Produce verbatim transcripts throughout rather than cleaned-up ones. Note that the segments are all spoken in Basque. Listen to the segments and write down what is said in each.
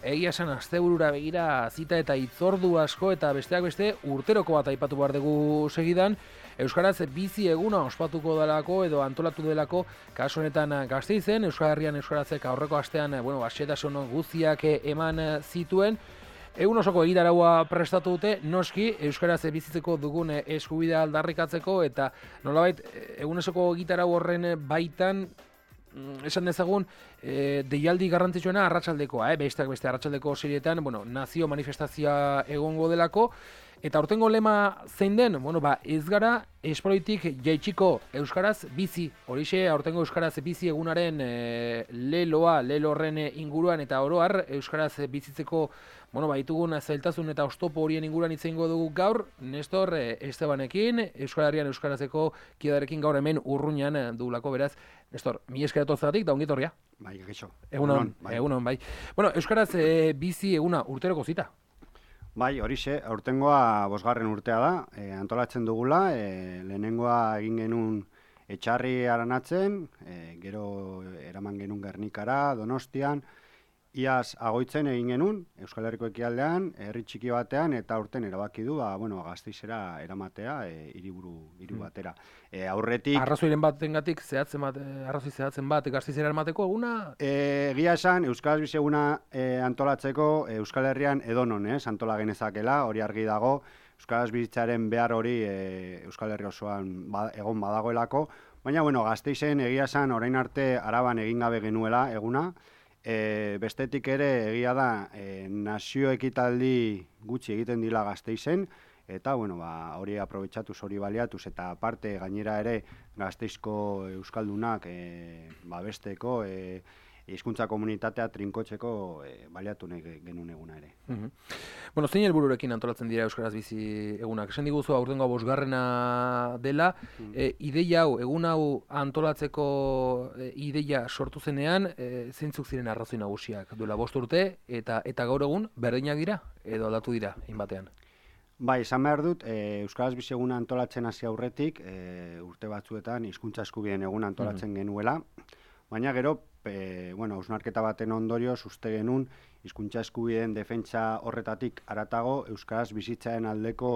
egia esan asteburura begira zita eta hitzordu asko eta besteak beste urteroko bat aipatu behar dugu segidan, Euskaraz bizi eguna ospatuko delako edo antolatu delako kasu honetan Gasteizen, Euskal Herrian Euskarazek aurreko astean, bueno, xehetasun guztiak eman zituen. Egun osoko egitaraua prestatu dute, noski Euskaraz bizitzeko dugun eskubidea aldarrikatzeko eta nolabait egun osoko egitarau horren baitan esan dezagun, e, deialdi garrantzitsuena arratsaldekoa, eh? besteak beste arratsaldeko serietan, bueno, nazio manifestazioa egongo delako, eta aurtengo lema zein den, bueno, ba, ez gara espaloitik jaitsiko Euskaraz bizi, horixe aurtengo Euskaraz bizi egunaren e, leloa, lelo horren inguruan eta oroar Euskaraz bizitzeko, bueno, ba, ditugun zailtasun eta oztopo horien inguruan hitz egingo dugu gaur, Nestor e, Estebanekin, Euskal Herrian Euskarazeko kidarekin gaur hemen urruñan dugulako, beraz, Nestor, mi esker etortzegatik da ongitorria. Bai, geixo. Egunon, bai. Egunon, bai. Bueno, Euskaraz e, bizi eguna urteroko zita. Bai, horixe, aurtengoa bosgarren urtea da, e, antolatzen dugula, e, lehenengoa egin genuen Etxarri aranatzen, e, gero eraman genuen Gernikara, Donostian, iaz agoitzen egin genuen, Euskal Herriko ekialdean, herri txiki batean, eta aurten erabaki du, ba, bueno, Gasteizera eramatea, e, hiriburu hiru batera. E, aurretik... Arrazoiren batengatik zehatzen bat, arrazoi zehatzen bat Gasteizera eramateko eguna? E, Egia esan, Euskaraz bizi eguna e, antolatzeko e, Euskal Herrian edonon, ez, antola genezakela, hori argi dago, Euskaraz bizitzaren behar hori e, Euskal Herri osoan ba, egon badagoelako, baina, bueno, Gasteizen egia esan orain arte Araban egin gabe genuela eguna, E, bestetik ere egia da e, nazio ekitaldi gutxi egiten dila Gasteizen eta bueno, ba, hori aprobetxatuz, hori baliatuz eta aparte gainera ere Gasteizko euskaldunak e, babesteko e, hizkuntza komunitatea trinkotzeko e, baliatu nahi genuen eguna ere. Uh-huh. Bueno, zein helbururekin antolatzen dira Euskaraz bizi egunak? Esan diguzu aurtengoa bosgarrena dela, e, ideia hau, egun hau antolatzeko e, ideia sortu zenean, e, zeintzuk ziren arrazoi nagusiak duela bost urte eta eta gaur egun berdinak dira edo aldatu dira hainbatean? Bai, esan behar dut, e, Euskaraz bizi eguna antolatzen hasi aurretik, e, urte batzuetan hizkuntza eskubideen eguna antolatzen uh-huh. genuela, baina gero E, bueno, hausnarketa baten ondorioz uste genuen hizkuntza eskubideen defentsa horretatik haratago Euskaraz bizitzaren aldeko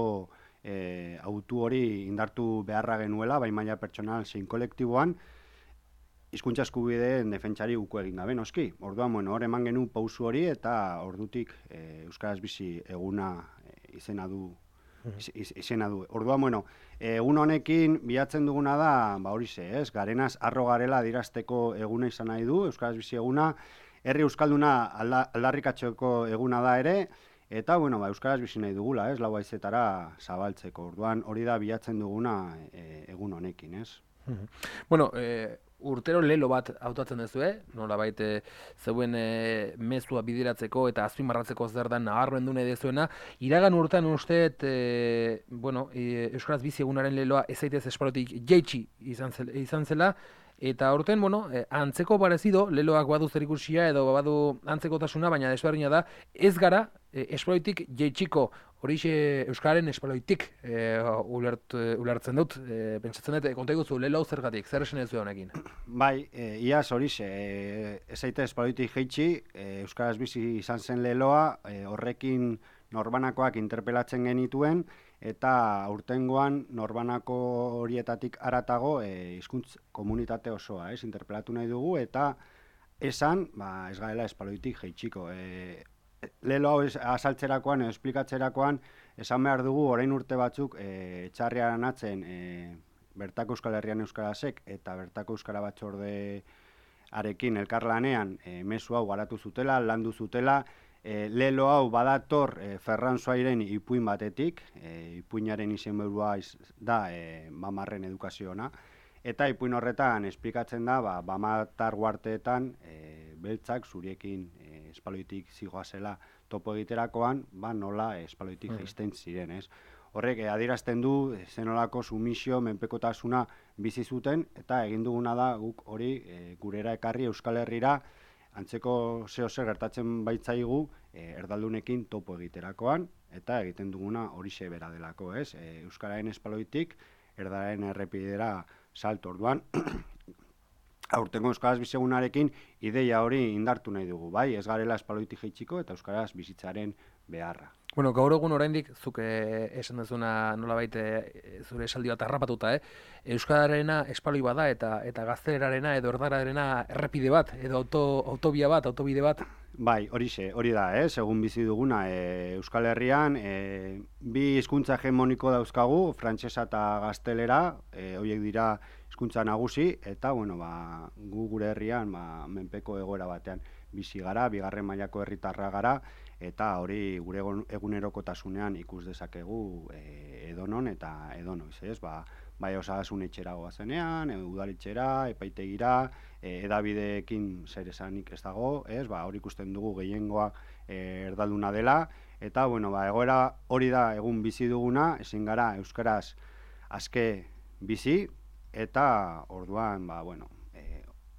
e, autu hori indartu beharra genuela, bai maila pertsonal zein kolektiboan, hizkuntza eskubideen defentsari uko egin gabe, noski. Orduan, bueno, hor eman genuen pausu hori eta ordutik e, Euskaraz bizi eguna e, izena du Iz, iz, izena du. Orduan, bueno, egun honekin bilatzen duguna da, ba horixe, ez, garenaz arro garela adirazteko eguna izan nahi du, Euskaraz bizi eguna, herri euskalduna alda, aldarrikatzeko eguna da ere, eta, bueno, ba, Euskaraz bizi nahi dugula, ez, lau haizetara zabaltzeko. Orduan, hori da bilatzen duguna e, egun honekin, ez. Bueno, eh, urtero lelo bat hautatzen duzu, eh? Nolabait e, zeuen e, mezua bideratzeko eta azpimarratzeko zer da nabarmendu nahi dezuena. Iragan urtean usteet, e, bueno, e, Euskaraz bizi egunaren leloa ez zaitez espalotik jaitsi izan, zel, izan zela, eta aurten, bueno, e, antzeko parezido, leloak badu zerikusia edo badu antzekotasuna, baina desberdina da, ez gara e, espaloitik jaitsiko. Horixe Euskararen espaloitik e, ulert, ulertzen dut, e, pentsatzen dut, konta iguzu, lelo zergatik, zer esan ez du honekin? Bai, e, iaz horixe, e, ez zaite espaloitik jaitsi, e, Euskaraz bizi izan zen leloa, e, horrekin norbanakoak interpelatzen genituen, eta aurtengoan norbanako horietatik haratago e, hizkuntz komunitate osoa, ez, interpelatu nahi dugu, eta esan, ba, ez gaela espaloitik jaitsiko. E, Lelo hau azaltzerakoan, esplikatzerakoan, esan behar dugu, orain urte batzuk, e, Etxarriaren atzen, e, bertako Euskal Herrian Euskarazek eta bertako Euskara Batzordearekin elkarlanean e, mezu hau garatu zutela, landu zutela, e, lelo hau badator e, Ferran Soairen ipuin batetik, e, ipuinaren izenburua da e, Bamarren edukaziona, eta ipuin horretan esplikatzen da, ba, Bamatar uarteetan e, beltzak zuriekin e, espaloitik zigoazela topo egiterakoan, ba nola espaloitik mm. jaisten ziren, ez? Horrek eh, adierazten du zenolako sumisio, menpekotasuna bizi zuten, eta egin duguna da guk hori e, gurera ekarri Euskal Herrira antzeko zeo zer gertatzen baitzaigu e, erdaldunekin topo egiterakoan, eta egiten duguna horixe bera delako, ez? E, Euskararen espaloitik erdaren errepidera salto. Orduan, aurtengo Euskaraz bizegunarekin ideia hori indartu nahi dugu, bai, ez garela espaloitik jaitsiko eta Euskaraz bizitzaren beharra. Bueno, gaur egun oraindik zuk eh, esan duzuna nolabait eh, zure esaldi bat harrapatuta, eh? Euskararena espaloi bada eta eta gaztelerarena edo erdararena errepide bat edo auto, autobia bat, autobide bat. Bai, horixe, hori da, eh? Segun bizi duguna, e, Euskal Herrian e, bi hizkuntza hegemoniko dauzkagu, frantsesa eta gaztelera, e, horiek dira hizkuntza nagusi, eta bueno, ba, gu gure herrian ba, menpeko egoera batean bizi gara, bigarren mailako herritarra gara, eta hori gure egunerokotasunean ikus dezakegu e, edonon eta edonoiz, ez? Ba, bai osasun etxera goazenean, e, udaletxera, epaitegira, e, edabideekin zer esanik ez dago, ez? Ba, hori ikusten dugu gehiengoa e, erdalduna dela, eta bueno, ba, egoera hori da egun bizi duguna, ezin gara euskaraz aske bizi, eta orduan, ba, bueno,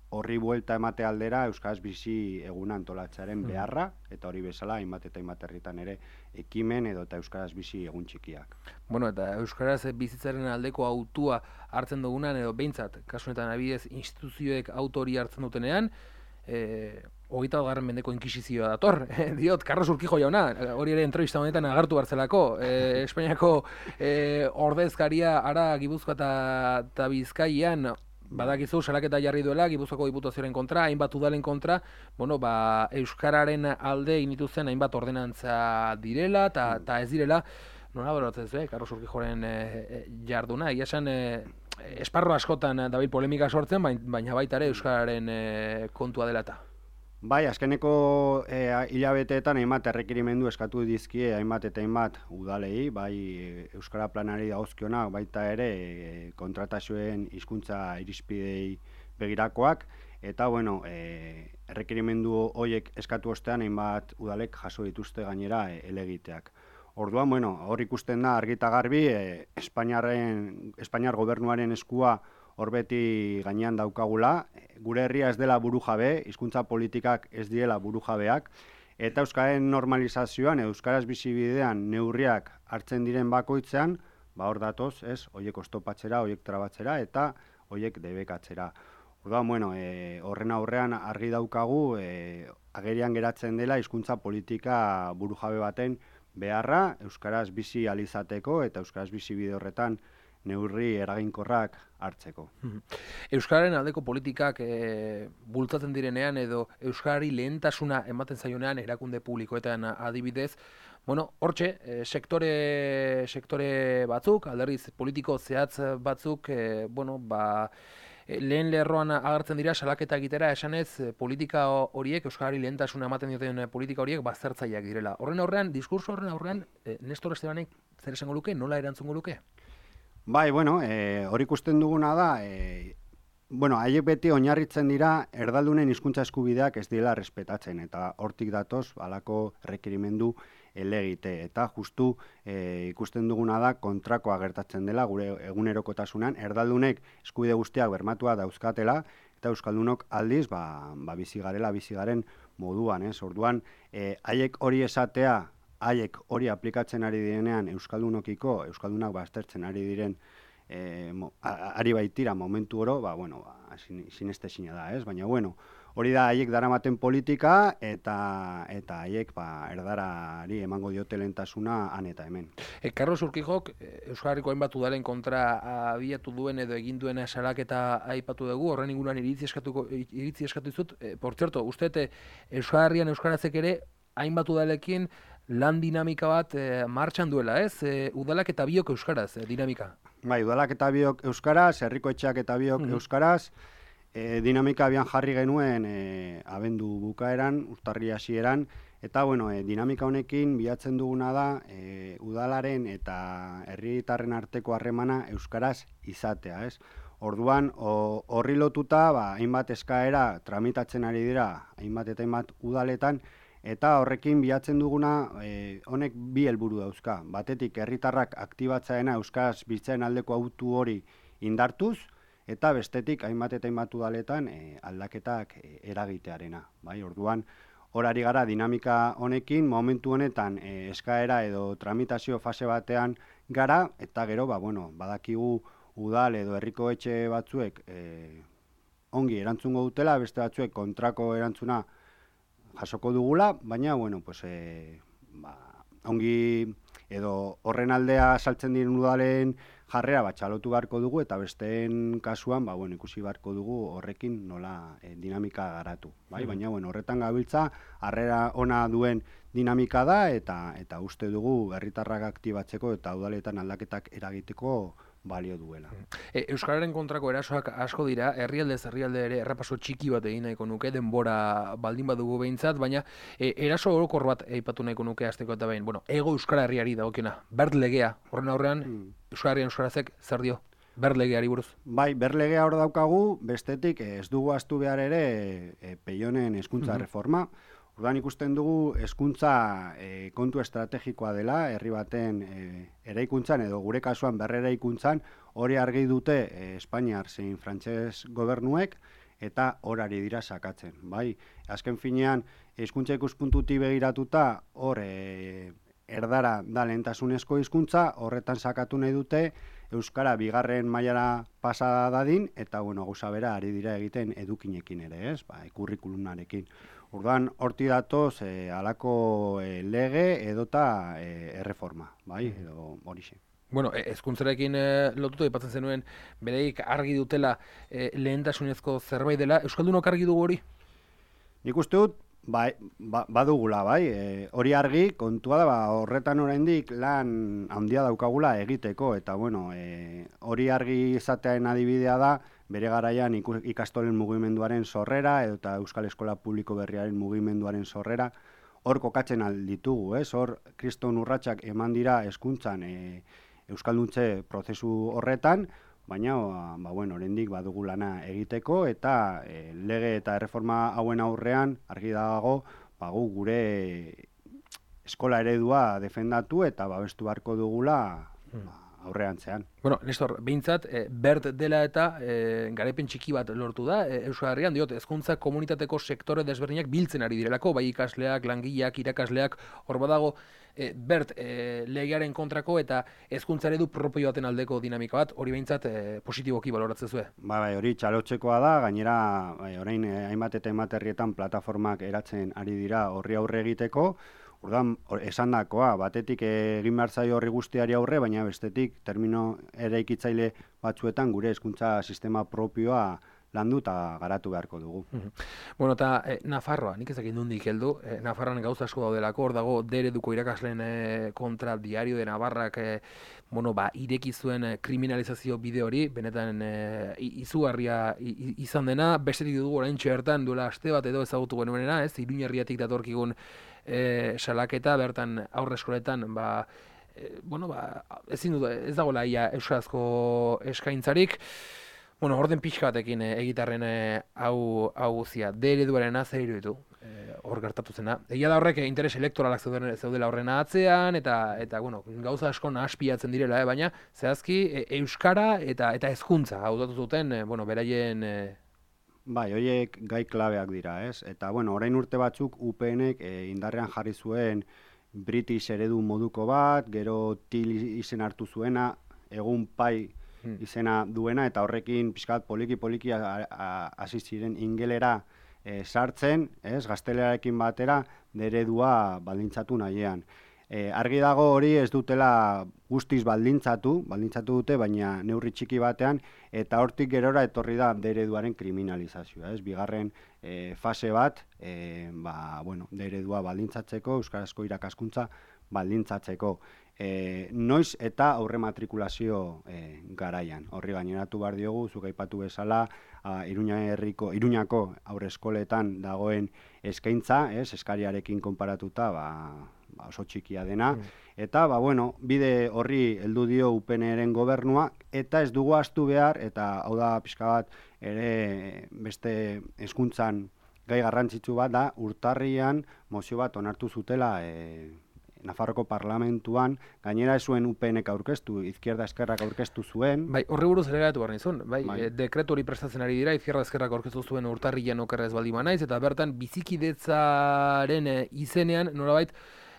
horri buelta emate aldera euskaraz bizi eguna antolatzearen beharra, eta hori bezala hainbat eta hainbat herritan ere ekimen edo eta euskaraz bizi egun txikiak. Bueno, eta euskaraz bizitzaren aldeko autua hartzen dugunan edo behintzat, kasu honetan adibidez instituzioek autori hartzen dutenean, eh, hogeita bat garren mendeko inkisizioa dator, diot, Carlos Urquijo jauna, hori ere entrevista honetan agertu hartzelako, eh, Espainiako eh, ordezkaria ara Gipuzkoa eta Bizkaian, badakizu, salaketa jarri duela, Gipuzkoako Diputazioaren kontra, hainbat udalen kontra, bueno, ba, euskararen alde inituzen hainbat ordenantza direla, eta ez direla, nola beratzen zu, eh, Carlos Urquijoren eh, jarduna, egia esan, eh, esparro askotan dabil polemika sortzen, baina baita ere euskararen eh, kontua dela eta. Bai, azkeneko e, hilabeteetan hainbat errekerimendu eskatu dizkie hainbat eta hainbat udalei, bai Euskara Planari dagozkionak, baita ere e, kontratazioen hizkuntza irizpidei begirakoak, eta bueno, e, errekerimendu horiek eskatu ostean hainbat udalek jaso dituzte gainera e, elegiteak. Orduan, bueno, hor ikusten da argi eta garbi, e, Espainiarren, Espainiar gobernuaren eskua hor beti gainean daukagula, gure herria ez dela burujabe, hizkuntza politikak ez diela burujabeak, eta euskaren normalizazioan, euskaraz bizibidean neurriak hartzen diren bakoitzean, ba hor datoz, ez, hoiek oztopatzera, hoiek trabatzera, eta hoiek debekatzera. Orduan, bueno, e, horren aurrean argi daukagu, e, agerian geratzen dela hizkuntza politika burujabe baten beharra, euskaraz bizi alizateko, eta euskaraz bizibide horretan neurri eraginkorrak hartzeko. Euskararen aldeko politikak e, bultzatzen direnean edo euskarari lehentasuna ematen zaionean erakunde publikoetan adibidez, bueno, hortxe, e, sektore, sektore batzuk, alderriz politiko zehatz batzuk, e, bueno, ba, e, lehen lerroan agertzen dira salaketa egitera esanez politika horiek, euskarari lehentasuna ematen dioten politika horiek baztertzaileak direla. Horren aurrean, diskurso horren aurrean, e, Nestor Estebanek zer esango luke, nola erantzungo luke? Bai, bueno, e, hori ikusten duguna da, e, bueno, haiek beti oinarritzen dira erdaldunen hizkuntza eskubideak ez dira respetatzen, eta hortik datoz halako errekerimendu elegite, eta justu e, ikusten duguna da kontrakoa gertatzen dela gure egunerokotasunean, erdaldunek eskubide guztiak bermatua dauzkatela, eta euskaldunok aldiz, ba, ba bizi garela, bizi garen moduan, ez? Orduan, e, haiek hori esatea, haiek hori aplikatzen ari direnean euskaldunokiko, euskaldunak baztertzen ari diren e, mo, a, ari baitira momentu oro, ba, bueno, ba, sinestezina da, ez? Baina, bueno, hori da haiek daramaten politika eta eta haiek ba, erdarari emango diote lehentasuna han eta hemen. E, Carlos Urquijok, Euskal Herriko hainbat udalen kontra abiatu duen edo egin duen salaketa aipatu dugu, horren inguruan iritzi eskatuko iritzi eskatu dizut. E, por cierto, uste Euskal Herrian euskarazek ere hainbat udalekin lan dinamika bat e, martxan duela, ez? E, udalak eta biok euskaraz, e, dinamika. Bai, udalak eta biok euskaraz, herriko etxeak eta biok mm. euskaraz, e, dinamika abian jarri genuen e, abendu bukaeran, urtarri hasieran, eta bueno, e, dinamika honekin bilatzen duguna da e, udalaren eta herritarren arteko harremana euskaraz izatea, ez? Orduan, horri lotuta, ba, hainbat eskaera tramitatzen ari dira, hainbat eta hainbat udaletan, eta horrekin bilatzen duguna e, honek bi helburu dauzka. Batetik herritarrak aktibatzaena euskaraz bizitzaren aldeko autu hori indartuz, eta bestetik hainbat eta hainbat udaletan e, aldaketak e, eragitearena. Bai, orduan, horari gara dinamika honekin, momentu honetan e, eskaera edo tramitazio fase batean gara, eta gero, ba, bueno, badakigu udal edo herriko etxe batzuek e, ongi erantzungo dutela, beste batzuek kontrako erantzuna jasoko dugula, baina, bueno, pues, e, ba, ongi edo horren aldea saltzen diren udalen jarrera bat txalotu beharko dugu, eta besteen kasuan, ba, bueno, ikusi beharko dugu horrekin nola e, dinamika garatu. Bai? Mm. Baina, bueno, horretan gabiltza, harrera ona duen dinamika da, eta eta uste dugu herritarrak aktibatzeko eta udaletan aldaketak eragiteko balio duela. E, Euskararen kontrako erasoak asko dira, herrialdez herrialde ere errepaso txiki bat egin nahiko nuke, denbora baldin badugu behintzat, baina e, eraso orokor bat aipatu nahiko nuke hasteko eta behin. Bueno, ego Euskara herriari dagokiona, bert legea, horren aurrean, hmm. Euskararen Euskarazek zer dio? Bert legeari buruz? Bai, bert legea hor daukagu, bestetik ez dugu ahaztu behar ere e, Peionen hezkuntza mm-hmm. reforma. Orduan ikusten dugu hezkuntza e, kontu estrategikoa dela, herri baten e, eraikuntzan edo gure kasuan berreraikuntzan hori argi dute e, Espainiar zein frantses gobernuek eta horari dira sakatzen. Bai, azken finean hizkuntza ikuspuntutik begiratuta hor e, erdara da lehentasunezko hizkuntza, horretan sakatu nahi dute euskara bigarren mailara pasa dadin eta bueno, gauza bera ari dira egiten edukinekin ere, ez? Ba, kurrikulumarekin. Orduan, horti datoz, e, alako e, lege edota e, erreforma, bai, edo horixe. Bueno, hezkuntzarekin e, lotuta aipatzen zenuen, bereik argi dutela e, lehentasunezko zerbait dela, euskaldunok argi dugu hori? Nik uste dut, bai, ba, badugula, bai, e, hori argi, kontua da, ba, horretan oraindik lan handia daukagula egiteko, eta bueno, e, hori argi izatearen adibidea da, bere garaian ikastolen mugimenduaren sorrera eta Euskal Eskola Publiko Berriaren mugimenduaren sorrera hor kokatzen alditugu, ez? Hor kriston urratsak eman dira hezkuntzan e, euskalduntze prozesu horretan, baina ba bueno, oraindik badugu lana egiteko eta e, lege eta erreforma hauen aurrean argi dago, ba gu gure eskola eredua defendatu eta babestu beharko dugula ba, aurrean zean. Bueno, Nestor, behintzat, e, bert dela eta e, garaipen txiki bat lortu da, e, Euskal Herrian, diot, hezkuntza komunitateko sektore desberdinak biltzen ari direlako, bai ikasleak, langileak, irakasleak, hor badago, e, bert e, legearen kontrako eta hezkuntza eredu propio baten aldeko dinamika bat, hori behintzat e, positiboki baloratzen zuen. Ba, bai, hori txalotzekoa da, gainera, bai, orain e, hainbat eta hainbat herrietan plataformak eratzen ari dira horri aurre egiteko. Orduan, esandakoa, batetik egin behar zaio horri guztiari aurre, baina bestetik termino eraikitzaile batzuetan gure hezkuntza sistema propioa landu eta garatu beharko dugu. Bueno, eta eh, Nafarroa, nik ezak indundik heldu, eh, Nafarroan gauza asko daudelako, hor dago dereduko irakasleen eh, kontra Diario de Navarrak eh, bueno, ba, ireki zuen eh, kriminalizazio bide hori, benetan eh, izugarria izan dena, bestetik dugu orain txertan duela aste bat edo ezagutu genuenena, ez, Iruñerriatik datorkigun E, salaketa, bertan aurre eskoletan, ba, e, bueno, ba, ezin dut, ez dagoela ia euskarazko eskaintzarik, bueno, orden pixka batekin e, egitarren e, hau hau guzia, D ereduaren zer iruditu, e, hor gertatu zena. Egia da horrek interes elektoralak zeuden, zeudela horrena atzean, eta, eta bueno, gauza asko nahaspiatzen direla, eh, baina, zehazki, e, euskara eta eta hezkuntza hau datu zuten, e, bueno, beraien... E, Bai, horiek gai klabeak dira, ez? Eta, bueno, orain urte batzuk U P Nek e, indarrean jarri zuen British eredu moduko bat, gero Til izen hartu zuena, egun Pai izena duena, eta horrekin pixkat poliki-poliki hasi ziren ingelera e, sartzen, ez? Gaztelerarekin batera, eredua baldintzatu nahiean. E, argi dago hori ez dutela guztiz baldintzatu, baldintzatu dute, baina neurri txiki batean, eta hortik gerora etorri da dereduaren kriminalizazioa, ez? Bigarren e, fase bat, e, ba, bueno, deredua baldintzatzeko, euskarazko irakaskuntza baldintzatzeko. E, noiz eta aurre matrikulazio e, garaian. Horri gaineratu behar diogu, zuk aipatu bezala, a, Iruña herriko, Iruñako aurre eskoletan dagoen eskaintza, ez? Eskariarekin konparatuta, ba, oso txikia dena, mm. eta, ba, bueno, bide horri heldu dio U P Nren gobernua, eta ez dugu ahaztu behar, eta hau da pixka bat, ere beste hezkuntzan gai garrantzitsu bat da, urtarrian mozio bat onartu zutela e, Nafarroko parlamentuan, gainera ez zuen U P Nek aurkeztu, izquierda eskerrak aurkeztu zuen. Bai, horri buruz ere gaitu behar nizun, bai, bai. E, dekretu hori prestatzen ari dira, izquierda eskerrak aurkeztu zuen urtarrian okerrez baldin banaiz, eta bertan bizikidetzaren e, izenean, nolabait,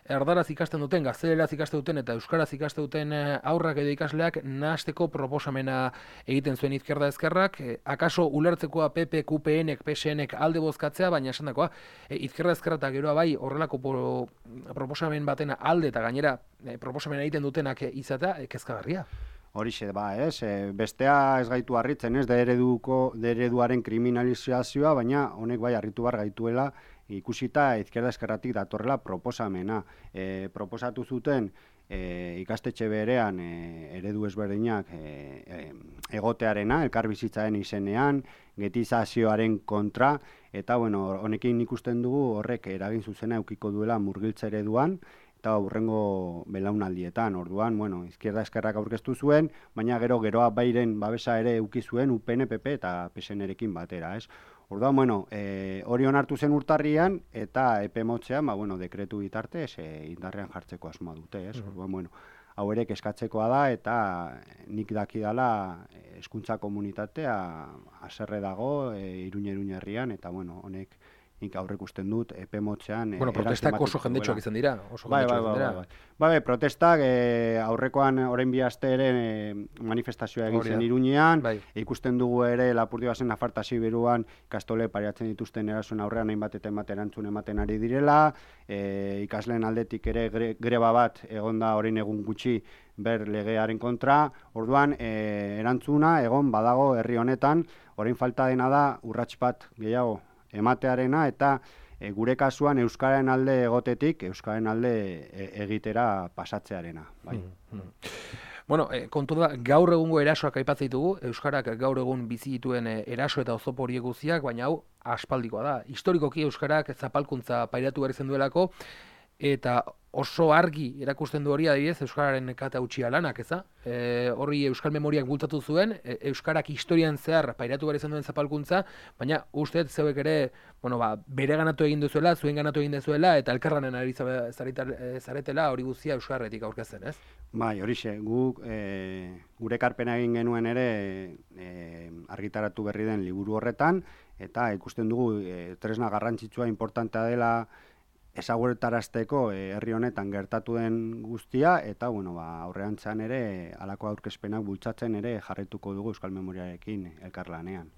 erdaraz ikasten duten, gazteleraz ikasten duten eta euskaraz ikasten duten aurrak edo ikasleak nahasteko proposamena egiten zuen Izquierda Ezkerrak, e, akaso ulertzekoa P P, Q P N, P S N alde bozkatzea, baina esandakoa, e, Izquierda Ezkerra eta geroa bai horrelako pro, proposamen baten alde eta gainera e, proposamen egiten dutenak e, izatea, e, kezkagarria. Horixe ba, ez? E, bestea ez gaitu harritzen, ez? De ereduko, de ereduaren kriminalizazioa, baina honek bai harritu bar gaituela ikusita Izquierda Ezkerratik datorrela proposamena. E, proposatu zuten e, ikastetxe berean e, eredu ezberdinak e, e, egotearena, elkarbizitzaren izenean, getizazioaren kontra, eta bueno, honekin ikusten dugu horrek eragin zuzena eukiko duela murgiltze ereduan, eta hurrengo belaunaldietan. Orduan, bueno, Izquierda Ezkerrak aurkeztu zuen, baina gero geroa bairen babesa ere eduki zuen U P N, P P eta P S N-erekin batera, ez? Orduan, bueno, e, hori onartu zen urtarrian eta epe motzean, ba, bueno, dekretu bitartez e, indarrean jartzeko asmoa dute, ez? Orduan, bueno, hau ere kezkatzekoa da eta nik dakidala hezkuntza komunitatea haserre dago e, Iruña herrian eta bueno, honek nik aurrek usten dut epe motzean. Bueno, protestak oso jendetsuak izan dira. Oso bai, bai, bai, bai, bai. Bai, protestak e, aurrekoan orain bi aste ere e, manifestazioa egin zen Iruñean, bai. Ikusten dugu ere Lapurdioasen Nafartasi beruan ikastole pariatzen dituzten erasoen aurrean hainbat eta hainbat erantzun ematen ari direla, e, ikasleen aldetik ere gre, greba bat egonda orain egun gutxi ber legearen kontra. Orduan, e, erantzuna egon badago herri honetan, orain falta dena da urrats bat gehiago ematearena eta e, gure kasuan euskararen alde egotetik euskararen alde e, egitera pasatzearena, bai. Mm-hmm. Bueno, e, kontu da, gaur egungo erasoak aipatzen ditugu, euskarak gaur egun bizi dituen eraso eta oztopo horiek guztiak, baina hau aspaldikoa da. Historikoki euskarak zapalkuntza pairatu behar izan duelako, eta oso argi erakusten du hori adibidez euskararen kata utxia lanak, eza? E, horri euskal memoriak bultzatu zuen, e, euskarak historian zehar pairatu behar izan duen zapalkuntza, baina uste zeuek ere, bueno, ba, bere ganatu egin duzuela, zuen ganatu egin duzuela, eta elkarranen ari zaretela hori guztia euskarretik aurkezten, ez? Bai, horixe, guk e, gure karpena egin genuen ere e, argitaratu berri den liburu horretan, eta ikusten dugu e, tresna garrantzitsua importantea dela ezagutarazteko e, herri honetan gertatu den guztia, eta bueno, ba, aurreantzan ere halako aurkezpenak bultzatzen ere jarraituko dugu Euskal Memoriarekin elkarlanean.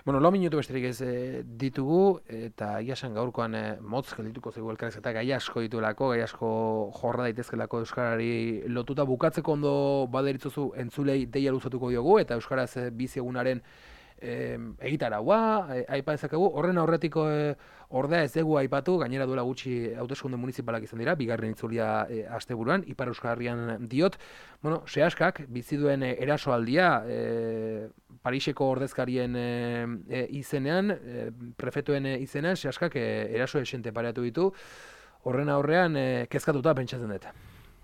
Bueno, lau minutu besterik ez e, ditugu, eta iasan gaurkoan e, motz geldituko zego elkarrez eta gai asko dituelako, gai asko jorra daitezkelako euskarari lotuta. Bukatzeko ondo baderitzuzu entzulei deia luzatuko diogu, eta euskaraz e, bizi egunaren E, egitaraua, e, aipa ezakegu, horren aurretiko e, ordea ez dugu aipatu, gainera duela gutxi hauteskunde municipalak izan dira, bigarren itzulia e, asteburuan, Ipar Euskal Herrian diot. Bueno, Seaskak bizi duen e, erasoaldia e, Pariseko ordezkarien e, e, izenean, e, prefetuen e, izenean, Seaskak e, eraso esente pareatu ditu, horren aurrean e, kezkatuta pentsatzen dut.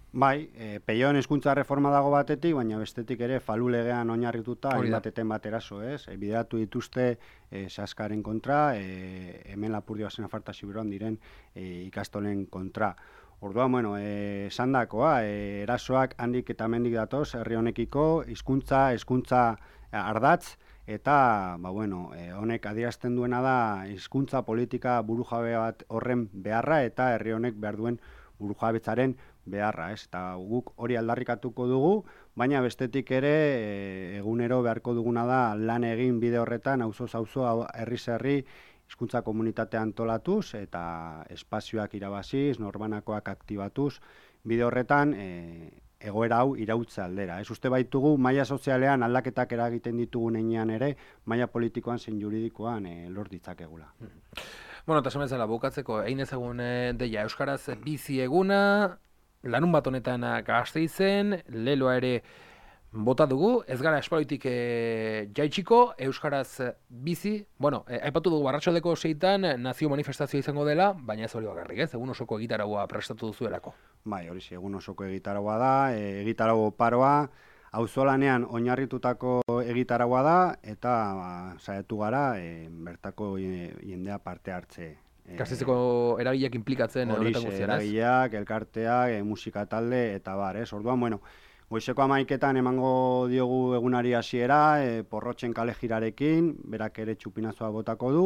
Bai, e, peioen hezkuntza reforma dago batetik, baina bestetik ere falu legean oinarrituta hainbateten bat eraso, ez? E, bideratu dituzte e, Seaskaren kontra, e, hemen Lapurdioasen Nafartasi beruan diren e, ikastolen kontra. Orduan, bueno, esan e, dakoa, e, erasoak handik eta hemendik datoz herri honekiko, hizkuntza, hezkuntza ardatz, eta ba, bueno, e, honek adierazten duena da hizkuntza politika burujabe bat horren beharra eta herri honek behar duen burujabetzaren beharra, ez? Eta guk hori aldarrikatuko dugu, baina bestetik ere e, egunero beharko duguna da lan egin bide horretan, auzoz auzo, herriz herri, hizkuntza komunitatea antolatuz eta espazioak irabaziz, norbanakoak aktibatuz, bide horretan e, egoera hau irautza aldera. Ez uste baitugu, maila sozialean aldaketak eragiten ditugu heinean ere, maila politikoan zein juridikoan e, lor ditzakegula. Bueno, eta esan bukatzeko, egin ezagun deia, euskaraz bizi eguna, lanun bat honetan Gasteizen, leloa ere bota dugu, ez gara espaloitik e, jaitsiko, euskaraz bizi, bueno, e, aipatu dugu arratsaldeko seitan nazio manifestazioa izango dela, baina ez hori bakarrik, ez, egun osoko egitaragoa prestatu duzuelako. Bai, hori egun osoko egitaragoa da, e, egitarago paroa, auzolanean oinarritutako egitaragoa da, eta ba, saiatu gara e, bertako jendea parte hartze. Gasteizeko eragileak implikatzen honetan guztian, ez? Eragileak, elkarteak, e, musika talde, eta bar, ez? Orduan, bueno, goizeko hamaiketan emango diogu egunari hasiera, e, porrotxen kale jirarekin, berak ere txupinazoa botako du,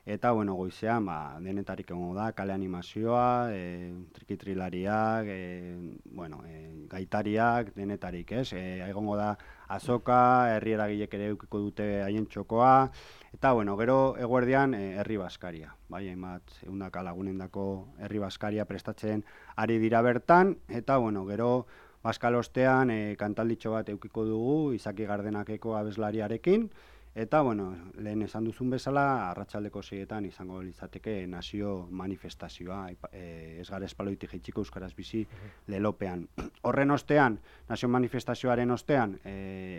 eta, bueno, goizean, ba, denetarik egongo da, kale animazioa, e, trikitrilariak, e, bueno, e, gaitariak, denetarik, ez? E, egongo da azoka, herri eragilek ere eukiko dute haien txokoa, eta, bueno, gero eguerdian e, herri baskaria, bai, hainbat, ehundaka lagunendako herri baskaria prestatzen ari dira bertan, eta, bueno, gero, Baskalostean e, kantalditxo bat eukiko dugu, Izaki Gardenakeko abeslariarekin, eta, bueno, lehen esan duzun bezala, arratsaldeko seietan izango litzateke nazio manifestazioa, e, ez gara espaloitik jaitsiko Euskaraz bizi lelopean. Horren ostean, nazio manifestazioaren ostean, e,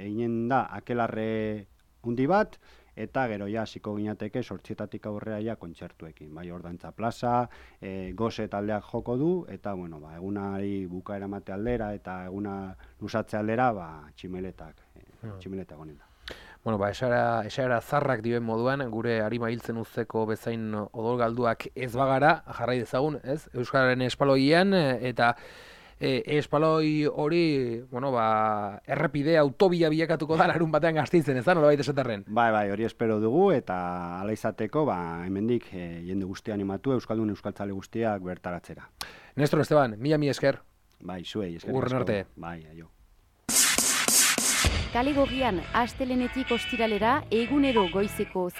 eginen da akelarre hundi bat, eta gero ja hasiko ginateke sortzietatik aurrera ja kontzertuekin, bai, Ordantza plaza, e, goze taldeak joko du, eta, bueno, ba, egunari bukaera mate aldera, eta eguna lusatze aldera, ba, tximeletak, e, tximeletak honen da. Bueno, ba, esara, esara zarrak dioen moduan, gure harima hiltzen uzteko bezain odol galduak ez bagara, jarrai dezagun, ez? Euskararen espaloian, eta E, espaloi hori, bueno, ba, errepide, autobia bilakatuko da larun batean Gasteizen, ez da, nola baita esaterren? Bai, bai, hori espero dugu, eta ala izateko, ba, hemendik e, jende guztia animatu, Euskaldun Euskaltzale guztiak bertaratzera. Nestor Esteban, mila mi esker. Bai, zuei, esker. Urren arte. Bai, aio. Kale Gorrian, astelenetik ostiralera, egunero goizeko